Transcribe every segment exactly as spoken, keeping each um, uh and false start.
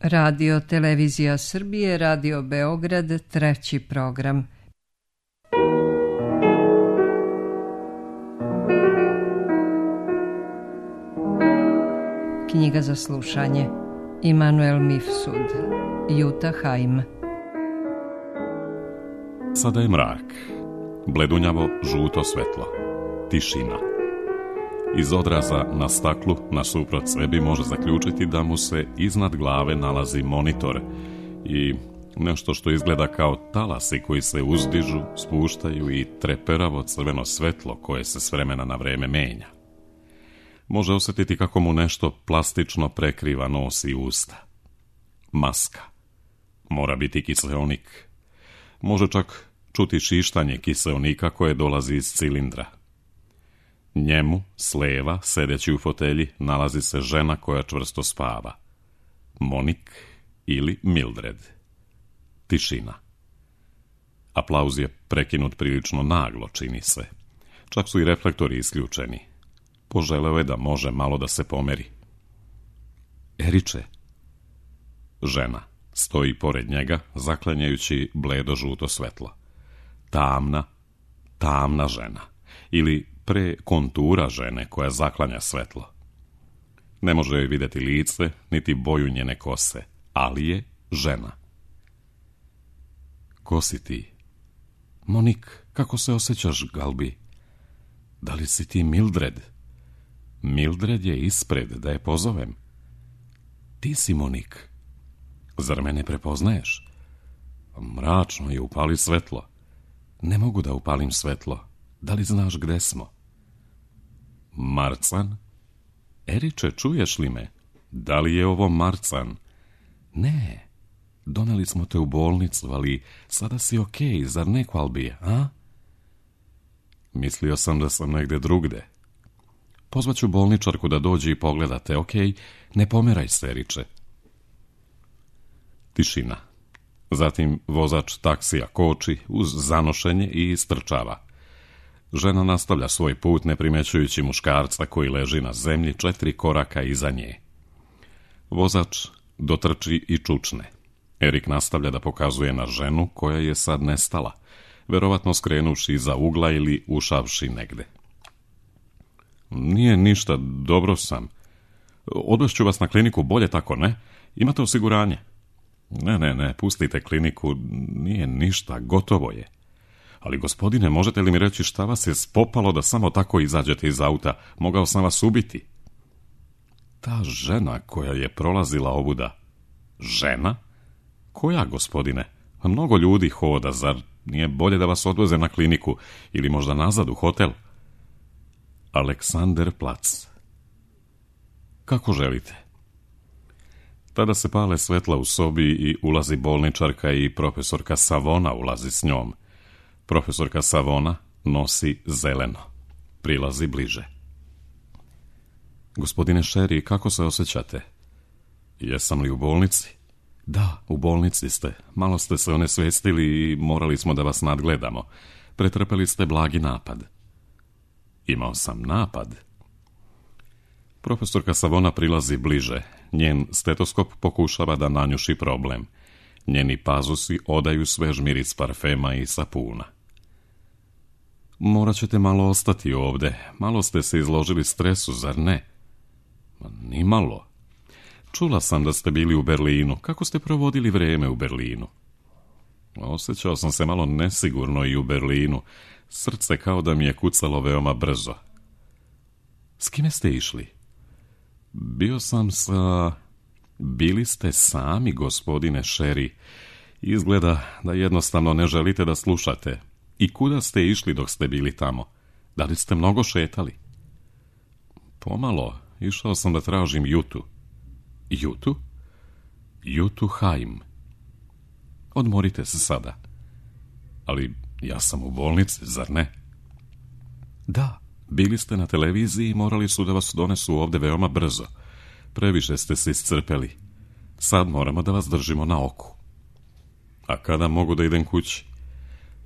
Radio Televizija Srbije, Radio Beograd, treći program. Knjiga za slušanje. Immanuel Mifsud, Jutta Heim. Sada je mrak, bledunjavo žuto svetlo, tišina. Iz odraza na staklu nasuprot sebi može zaključiti da mu se iznad glave nalazi monitor i nešto što izgleda kao talasi koji se uzdižu, spuštaju i treperavo crveno svetlo koje se s vremena na vreme menja. Može osjetiti kako mu nešto plastično prekriva nos i usta. Maska. Mora biti kiseonik. Može čak čuti šištanje kiseonika koje dolazi iz cilindra. Njemu, s leva, sedeći u fotelji, nalazi se žena koja čvrsto spava. Monik ili Mildred. Tišina. Aplauz je prekinut prilično naglo, čini se. Čak su i reflektori isključeni. Poželeo je da može malo da se pomeri. Eriče. Žena stoji pored njega, zaklanjajući bledo žuto svetlo. Tamna, tamna žena. Ili pre kontura žene koja zaklanja svetlo. Ne može joj vidjeti lice, niti boju njene kose, ali je žena. Ko si ti? Monik, kako se osjećaš, Galbi? Da li si ti Mildred? Mildred je ispred, da je pozovem. Ti si Monik. Zar me ne prepoznaješ? Mračno je, upali svetlo. Ne mogu da upalim svetlo. Da li znaš gde smo? Marcan? Eriče, čuješ li me? Da li je ovo Marcan? Ne. Doneli smo te u bolnicu, ali sada si okej, zar ne, Galbi, a? Mislio sam da sam negde drugde. Pozvaću bolničarku da dođe i pogledate, okej? Ne pomeraj se, Eriče. Tišina. Zatim vozač taksija koči uz zanošenje i istrčava. Žena nastavlja svoj put ne primećujući muškarca koji leži na zemlji četiri koraka iza nje. Vozač dotrči i čučne. Erik nastavlja da pokazuje na ženu koja je sad nestala, verovatno skrenuši iza ugla ili ušavši negde. Nije ništa, dobro sam. Odvešću vas na kliniku, bolje tako, ne? Imate osiguranje? Ne, ne, ne, pustite kliniku, nije ništa, gotovo je. Ali, gospodine, možete li mi reći šta vas je spopalo da samo tako izađete iz auta? Mogao sam vas ubiti. Ta žena koja je prolazila ovuda. Žena? Koja, gospodine? Mnogo ljudi hoda, zar nije bolje da vas odveze na kliniku ili možda nazad u hotel? Aleksanderplatz. Kako želite? Tada se pale svetla u sobi i ulazi bolničarka i profesorka Savona ulazi s njom. Profesorka Savona nosi zeleno. Prilazi bliže. Gospodine Sherry, kako se osjećate? Jesam li u bolnici? Da, u bolnici ste. Malo ste se onesvestili i morali smo da vas nadgledamo. Pretrpeli ste blagi napad. Imao sam napad. Profesorka Savona prilazi bliže. Njen stetoskop pokušava da nanjuši problem. Njeni pazusi odaju svež miris parfema i sapuna. Morat ćete malo ostati ovde. Malo ste se izložili stresu, zar ne? Ni malo. Čula sam da ste bili u Berlinu. Kako ste provodili vrijeme u Berlinu? Osjećao sam se malo nesigurno i u Berlinu. Srce kao da mi je kucalo veoma brzo. S kime ste išli? Bio sam sa... Bili ste sami, gospodine Sherry. Izgleda da jednostavno ne želite da slušate. I kuda ste išli dok ste bili tamo? Da li ste mnogo šetali? Pomalo. Išao sam da tražim Jutu. Jutu? Jutu Heim. Odmorite se sada. Ali ja sam u bolnici, zar ne? Da, bili ste na televiziji i morali su da vas donesu ovde veoma brzo. Previše ste se iscrpeli. Sad moramo da vas držimo na oku. A kada mogu da idem kući?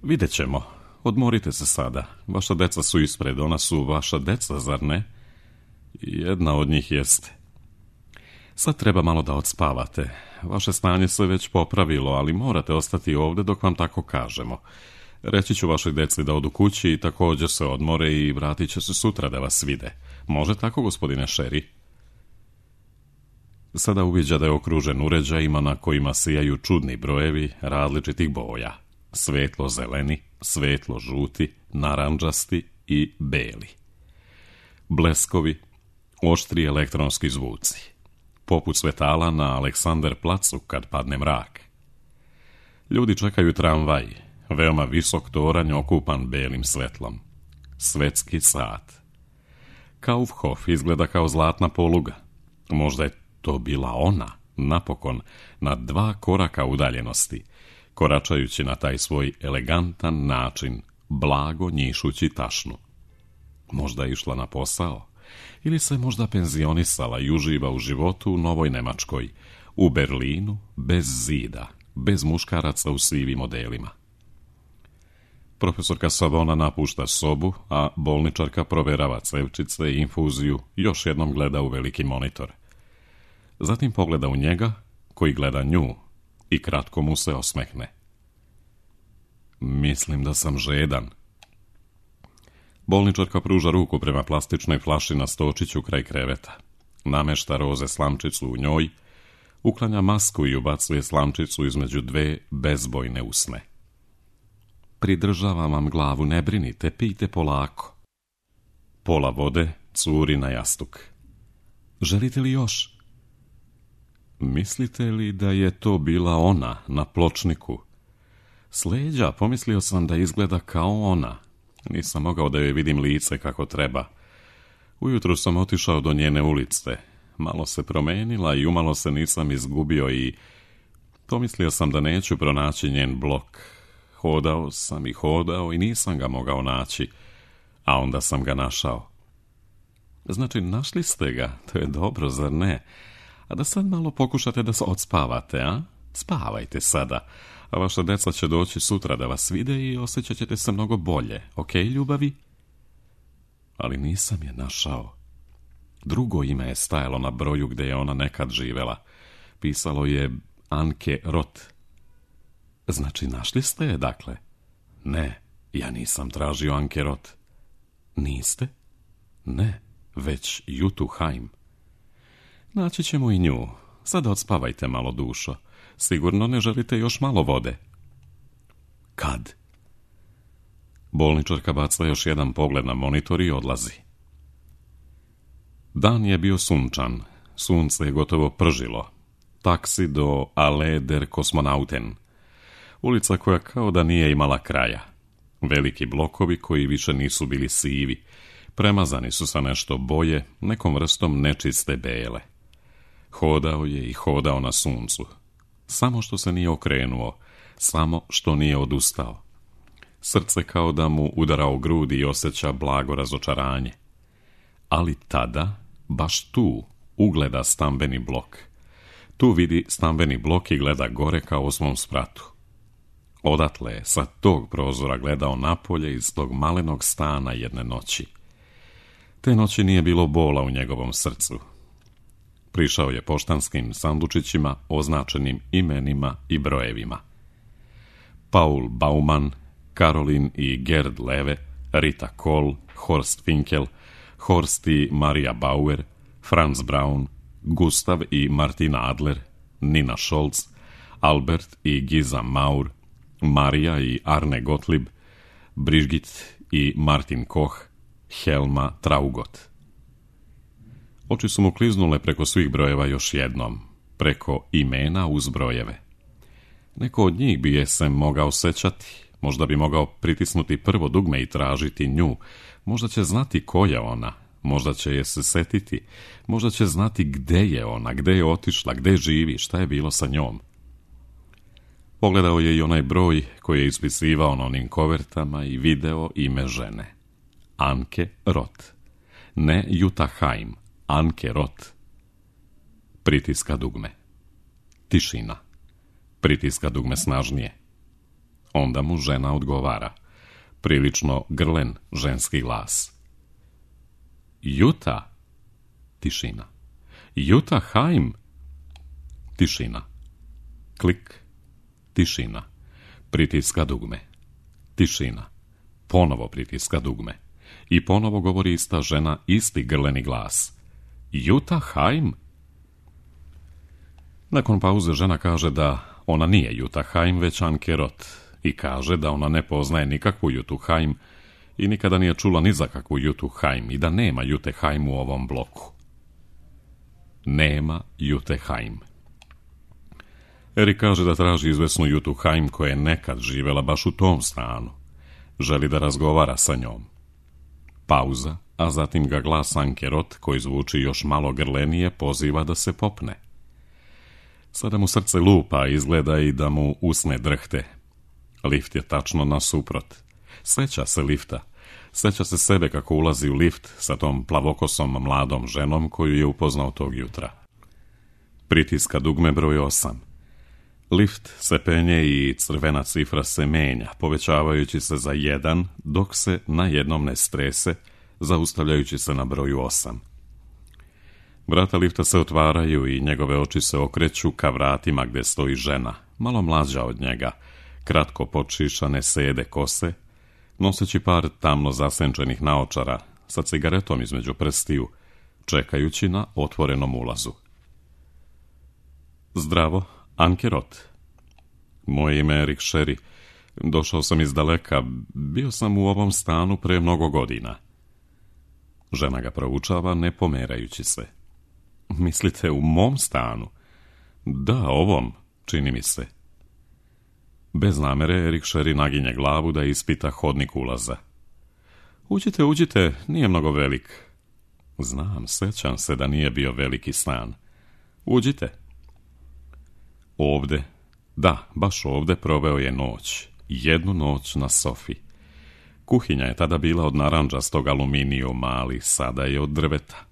Vidjet ćemo. Odmorite se sada. Vaša deca su ispred, ona su vaša deca, zar ne? Jedna od njih jeste. Sad treba malo da odspavate. Vaše stanje se već popravilo, ali morate ostati ovdje dok vam tako kažemo. Reći ću vašoj deci da odu kući i također se odmore i vratit će se sutra da vas vide. Može tako, gospodine Sherry? Sada uviđa da je okružen uređajima na kojima sijaju čudni brojevi različitih boja. Svetlo zeleni, svetlo žuti, narandžasti i beli. Bleskovi, oštri elektronski zvuci. Poput svetala na Aleksander placu kad padne mrak. Ljudi čekaju tramvaj, veoma visok toranj okupan belim svetlom. Svetski sat. Kaufhof izgleda kao zlatna poluga. Možda je to bila ona, napokon, na dva koraka udaljenosti, koračajući na taj svoj elegantan način, blago njišući tašnu. Možda je išla na posao, ili se možda penzionisala i uživa u životu u Novoj Nemačkoj, u Berlinu, bez zida, bez muškaraca u sivim modelima. Profesorka Savona napušta sobu, a bolničarka proverava cevčice i infuziju, još jednom gleda u veliki monitor. Zatim pogleda u njega, koji gleda nju, i kratko mu se osmehne. Mislim da sam žedan. Bolničarka pruža ruku prema plastičnoj flaši na stočiću kraj kreveta. Namešta roze slamčicu u njoj, uklanja masku i ubacuje slamčicu između dve bezbojne usne. Pridržavam vam glavu, ne brinite, pijte polako. Pola vode curi na jastuk. Želite li još? Mislite li da je to bila ona na pločniku? S leđa pomislio sam da izgleda kao ona. Nisam mogao da joj vidim lice kako treba. Ujutro sam otišao do njene ulice. Malo se promenila i umalo se nisam izgubio i pomislio sam da neću pronaći njen blok. Hodao sam i hodao i nisam ga mogao naći, a onda sam ga našao. Znači, našli ste ga, to je dobro, zar ne? A da sad malo pokušate da se odspavate, a? Spavajte sada, a vaša deca će doći sutra da vas vide i osjećat ćete se mnogo bolje, ok, ljubavi? Ali nisam je našao. Drugo ime je stajalo na broju gdje je ona nekad živela. Pisalo je Anke Roth. Znači, našli ste je, dakle? Ne, ja nisam tražio Anke Roth. Niste? Ne, već Jutu Haim. Naći ćemo i nju. Sada odspavajte malo, dušo. Sigurno ne želite još malo vode. Kad? Bolničarka baca još jedan pogled na monitor i odlazi. Dan je bio sunčan. Sunce je gotovo pržilo. Taksi do Allee der Kosmonauten. Ulica koja kao da nije imala kraja. Veliki blokovi koji više nisu bili sivi. Premazani su sa nešto boje, nekom vrstom nečiste bele. Hodao je i hodao na suncu. Samo što se nije okrenuo, samo što nije odustao. Srce kao da mu udara u grudi i osjeća blago razočaranje. Ali tada, baš tu, ugleda stambeni blok. Tu vidi stambeni blok i gleda gore kao osmom spratu. Odatle je sa tog prozora gledao napolje iz tog malenog stana jedne noći. Te noći nije bilo bola u njegovom srcu. Prišao je poštanskim sandučićima označenim imenima i brojevima. Paul Baumann, Karolin i Gerd Leve, Rita Kohl, Horst Finkel, Horst i Maria Bauer, Franz Braun, Gustav i Martina Adler, Nina Scholz, Albert i Giza Maur, Marija i Arne Gottlieb, Brigitte i Martin Koch, Helma Traugot. Oči su mu kliznule preko svih brojeva još jednom, preko imena uz brojeve. Neko od njih bi je se mogao sećati, možda bi mogao pritisnuti prvo dugme i tražiti nju, možda će znati ko je ona, možda će je se setiti, možda će znati gde je ona, gde je otišla, gde živi, šta je bilo sa njom. Pogledao je i onaj broj koji je ispisivao na onim kovertama i video ime žene. Anke Roth. Ne Jutta Haim, Anke Roth. Pritiska dugme. Tišina. Pritiska dugme snažnije. Onda mu žena odgovara. Prilično grlen ženski glas. Jutta. Tišina. Jutta Haim. Tišina. Klik. Tišina. Pritiska dugme. Tišina. Ponovo pritiska dugme. I ponovo govori ista žena, isti grleni glas. Jutta Heim? Nakon pauze žena kaže da ona nije Jutta Heim, već Anke Roth, i kaže da ona ne poznaje nikakvu Juttu Heim i nikada nije čula ni za kakvu Juttu Heim i da nema Jutte Heim u ovom bloku. Nema Jutte Heim. Erik kaže da traži izvesnu Juttu Heim koja je nekad živjela baš u tom stanu. Želi da razgovara sa njom. Pauza, a zatim ga glas Anke Roth, koji zvuči još malo grlenije, poziva da se popne. Sada mu srce lupa, izgleda i da mu usne drhte. Lift je tačno nasuprot. Seća se lifta. Seća se sebe kako ulazi u lift sa tom plavokosom mladom ženom koju je upoznao tog jutra. Pritiska dugme broj osam. Lift se penje i crvena cifra se menja, povećavajući se za jedan, dok se na jednom ne strese, zaustavljajući se na broju osam. Vrata lifta se otvaraju i njegove oči se okreću ka vratima gdje stoji žena, malo mlađa od njega, kratko počišane sede kose, noseći par tamno zasenčenih naočara, sa cigaretom između prstiju, čekajući na otvorenom ulazu. Zdravo, Anke Roth. Moje ime je Erik Sherry. Došao sam iz daleka, bio sam u ovom stanu pre mnogo godina. Žena ga proučava, ne pomerajući se. Mislite u mom stanu? Da, ovom, čini mi se. Bez namere Erik Sherry naginje glavu da ispita hodnik ulaza. Uđite, uđite, nije mnogo velik. Znam, sećam se da nije bio veliki stan. Uđite. Ovde, da, baš ovde proveo je noć. Jednu noć na sofi. Kuhinja je tada bila od narandžastog aluminijuma, ali sada je od drveta.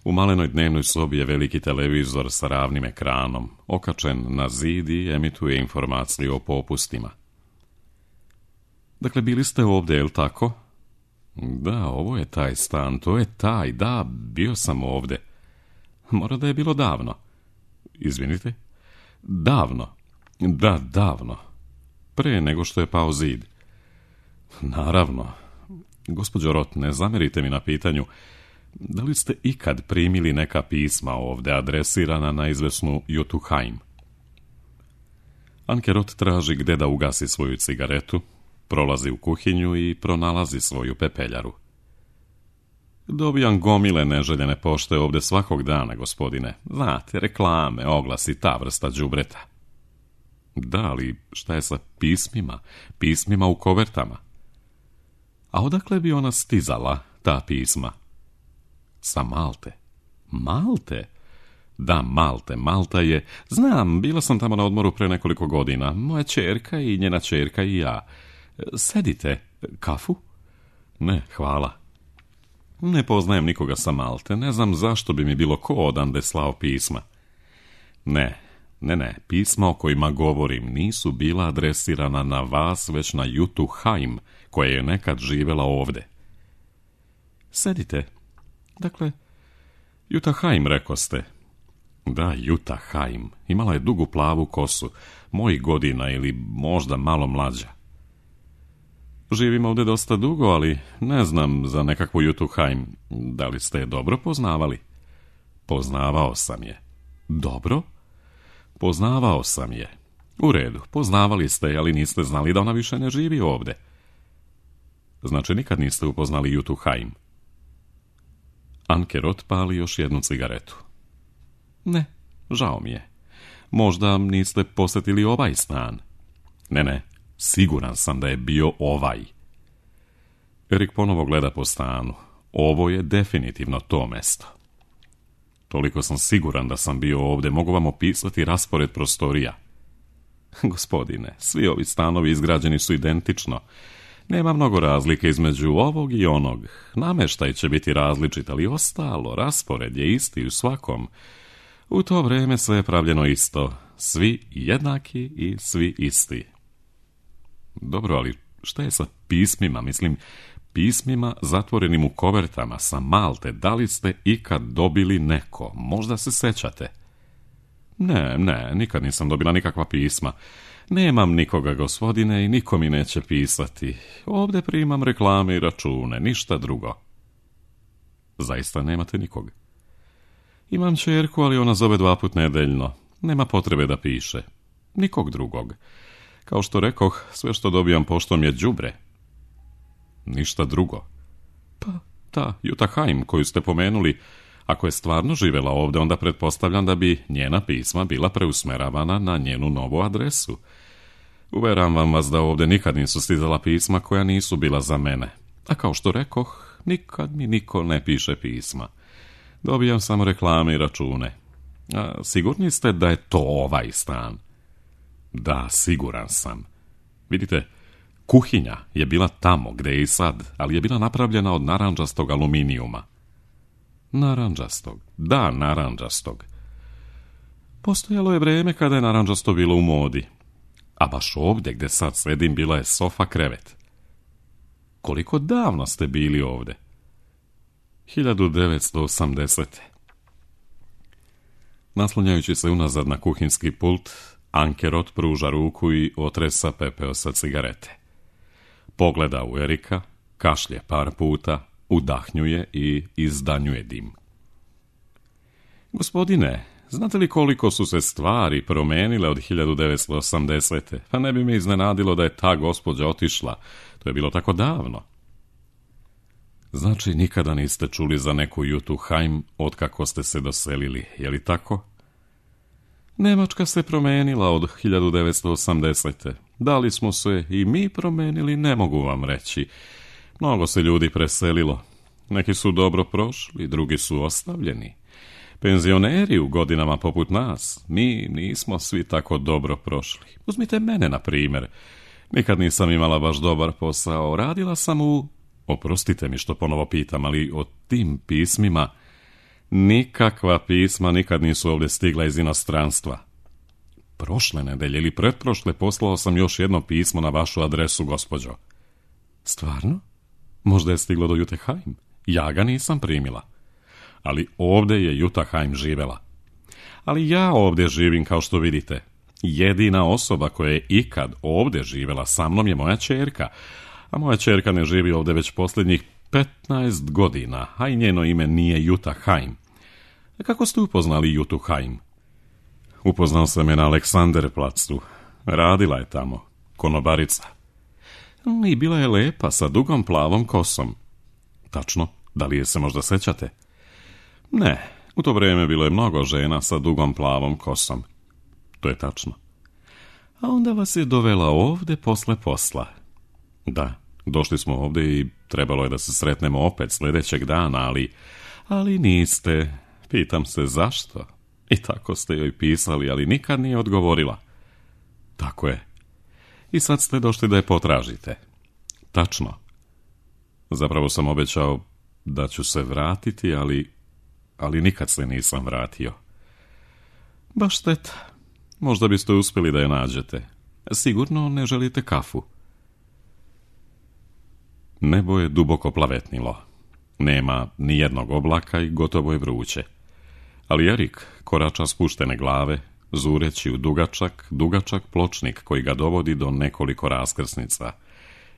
U malenoj dnevnoj sobi je veliki televizor sa ravnim ekranom, okačen na zid i emituje informacije o popustima. Dakle, bili ste ovdje, je li tako? Da, ovo je taj stan, to je taj, da, bio sam ovdje. Mora da je bilo davno. Izvinite? Davno. Da, davno. Pre nego što je pao zid. Naravno. Gospođo Roth, ne zamerite mi na pitanju. Da li ste ikad primili neka pisma ovdje adresirana na izvesnu Juttu Heim? Anke Roth traži gde da ugasi svoju cigaretu, prolazi u kuhinju i pronalazi svoju pepeljaru. Dobijam gomile neželjene pošte ovdje svakog dana, gospodine. Znate, reklame, oglasi, ta vrsta đubreta. Da, ali šta je sa pismima? Pismima u kovertama. A odakle bi ona stizala, ta pisma? Sa Malte. Malte? Da, Malte. Malta je... Znam, bila sam tamo na odmoru pre nekoliko godina. Moja ćerka i njena ćerka i ja. Sedite. Kafu? Ne, hvala. Ne poznajem nikoga sa Malte. Ne znam zašto bi mi bilo ko odande slao pisma. Ne, ne, ne. Pisma o kojima govorim nisu bila adresirana na vas, već na Juttu Heim, koja je nekad živjela ovdje. Sedite. Dakle, Jutta Heim, rekoste. Da, Jutta Heim. Imala je dugu plavu kosu, mojih godina ili možda malo mlađa. Živim ovdje dosta dugo, ali ne znam za nekakvu Juttu Heim. Da li ste je dobro poznavali? Poznavao sam je. Dobro? Poznavao sam je. U redu, poznavali ste je, ali niste znali da ona više ne živi ovdje. Znači, nikad niste upoznali Juttu Heim. Anke Roth pali još jednu cigaretu. Ne, žao mi je. Možda niste posjetili ovaj stan. Ne, ne, siguran sam da je bio ovaj. Erik ponovo gleda po stanu. Ovo je definitivno to mesto. Toliko sam siguran da sam bio ovdje, mogu vam opisati raspored prostorija. Gospodine, svi ovi stanovi izgrađeni su identično. Nema mnogo razlike između ovog i onog. Namještaj će biti različit, ali ostalo, raspored je isti u svakom. U to vrijeme sve je pravljeno isto. Svi jednaki i svi isti. Dobro, ali šta je sa pismima? Mislim, pismima zatvorenim u kovertama sa Malte. Da li ste ikad dobili neko? Možda se sećate. Ne, ne, nikad nisam dobila nikakva pisma. Nemam nikoga, gospodine, i niko mi neće pisati. Ovdje primam reklame i račune, ništa drugo. Zaista nemate nikog? Imam ćerku, ali ona zove dva put nedeljno. Nema potrebe da piše. Nikog drugog. Kao što rekoh, sve što dobijam poštom je đubre. Ništa drugo. Pa, ta Jutta Heim koju ste pomenuli, ako je stvarno živjela ovdje, onda pretpostavljam da bi njena pisma bila preusmeravana na njenu novu adresu. Uveravam vas da ovdje nikad nisu stizala pisma koja nisu bila za mene. A kao što rekoh, nikad mi niko ne piše pisma. Dobijam samo reklame i račune. A sigurni ste da je to ovaj stan? Da, siguran sam. Vidite, kuhinja je bila tamo gdje je i sad, ali je bila napravljena od narandžastog aluminijuma. Narandžastog? Da, narandžastog. Postojalo je vrijeme kada je narandžasto bilo u modi. A baš ovdje gdje sad sedim bila je sofa krevet. Koliko davno ste bili ovdje? hiljadu devetsto osamdesete. Naslonjajući se unazad na kuhinski pult, Ankerot pruža ruku i otresa pepeo sa cigarete. Pogleda u Erika, kašlje par puta, udahnjuje i izdanjuje dim. Gospodine, znate li koliko su se stvari promenile od hiljadu devetsto osamdesete? Pa ne bi me iznenadilo da je ta gospođa otišla. To je bilo tako davno. Znači, nikada niste čuli za neku Juttu Heim otkako ste se doselili, je li tako? Njemačka se promenila od hiljadu devetsto osamdesete. Da li smo se i mi promenili, ne mogu vam reći. Mnogo se ljudi preselilo. Neki su dobro prošli, drugi su ostavljeni. Penzioneri u godinama poput nas, mi nismo svi tako dobro prošli. Uzmite mene, na primjer. Nikad nisam imala baš dobar posao. Radila sam u... Oprostite mi što ponovo pitam, ali o tim pismima... Nikakva pisma nikad nisu ovdje stigla iz inostranstva. Prošle nedelje ili pretprošle poslao sam još jedno pismo na vašu adresu, gospođo. Stvarno? Možda je stiglo do Jutte Heim. Ja ga nisam primila. Ali ovdje je Jutta Heim živjela. Ali ja ovdje živim, kao što vidite. Jedina osoba koja je ikad ovdje živjela sa mnom je moja ćerka. A moja ćerka ne živi ovdje već posljednjih petnaest godina, a i njeno ime nije Jutta Heim. Kako ste upoznali Juttu Heim? Upoznao sam je na Aleksanderplacu. Radila je tamo, konobarica. I bila je lepa, sa dugom plavom kosom. Tačno, da li je se možda sećate? Ne, u to vrijeme bilo je mnogo žena sa dugom plavom kosom. To je tačno. A onda vas je dovela ovdje posle posla. Da, došli smo ovdje i trebalo je da se sretnemo opet sljedećeg dana, ali... Ali niste. Pitam se zašto. I tako ste joj pisali, ali nikad nije odgovorila. Tako je. I sad ste došli da je potražite. Tačno. Zapravo sam obećao da ću se vratiti, ali... Ali nikad se nisam vratio. Baš šteta. Možda biste uspjeli da je nađete. Sigurno ne želite kafu. Nebo je duboko plavetnilo. Nema ni jednog oblaka i gotovo je vruće. Ali Erik korača spuštene glave, zureći u dugačak, dugačak pločnik koji ga dovodi do nekoliko raskrsnica.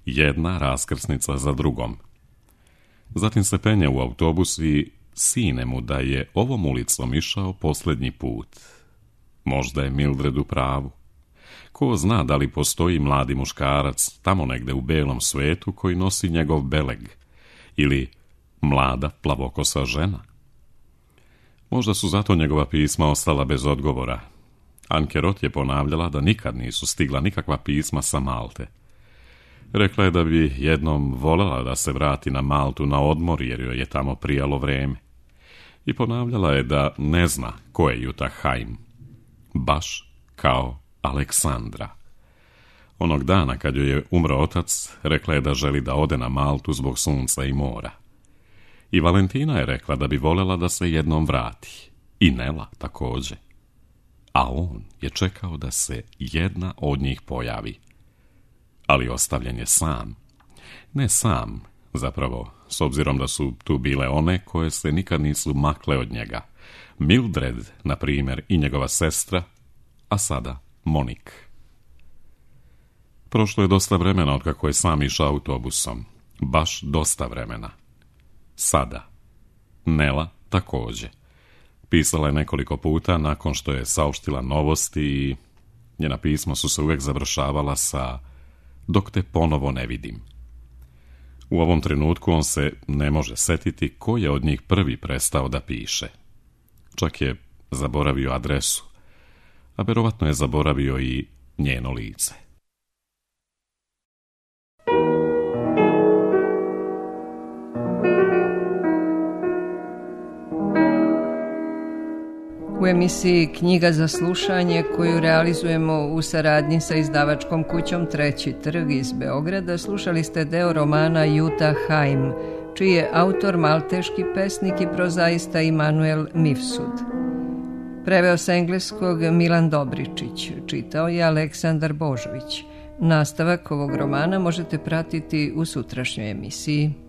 Jedna raskrsnica za drugom. Zatim se penje u autobus i sine mu da je ovom ulicom išao posljednji put. Možda je Mildred u pravu. Ko zna da li postoji mladi muškarac tamo negde u belom svetu koji nosi njegov beleg, ili mlada plavokosa žena. Možda su zato njegova pisma ostala bez odgovora. Ankerot je ponavljala da nikad nisu stigla nikakva pisma sa Malte. Rekla je da bi jednom voljela da se vrati na Maltu na odmor jer joj je tamo prijalo vrijeme. I ponavljala je da ne zna ko je Jutta Heim. Baš kao Aleksandra. Onog dana kad joj je umro otac, rekla je da želi da ode na Maltu zbog sunca i mora. I Valentina je rekla da bi voljela da se jednom vrati. I Nela također. A on je čekao da se jedna od njih pojavi. Ali ostavljen je sam. Ne sam, zapravo, s obzirom da su tu bile one koje se nikad nisu makle od njega. Mildred, na primjer, i njegova sestra, a sada Monik. Prošlo je dosta vremena od kako je sam išao autobusom. Baš dosta vremena. Sada. Nela također. Pisala je nekoliko puta nakon što je saopštila novosti i njena pisma su se uvijek završavala sa dok te ponovo ne vidim. U ovom trenutku on se ne može setiti ko je od njih prvi prestao da piše. Čak je zaboravio adresu, a vjerovatno je zaboravio i njeno lice. U emisiji Knjiga za slušanje, koju realizujemo u saradnji sa izdavačkom kućom Treći trg iz Beograda, slušali ste deo romana Jutta Heim, čiji je autor malteški pesnik i prozaista Immanuel Mifsud. Preveo sa engleskog Milan Dobričić, čitao je Aleksandar Božović. Nastavak ovog romana možete pratiti u sutrašnjoj emisiji.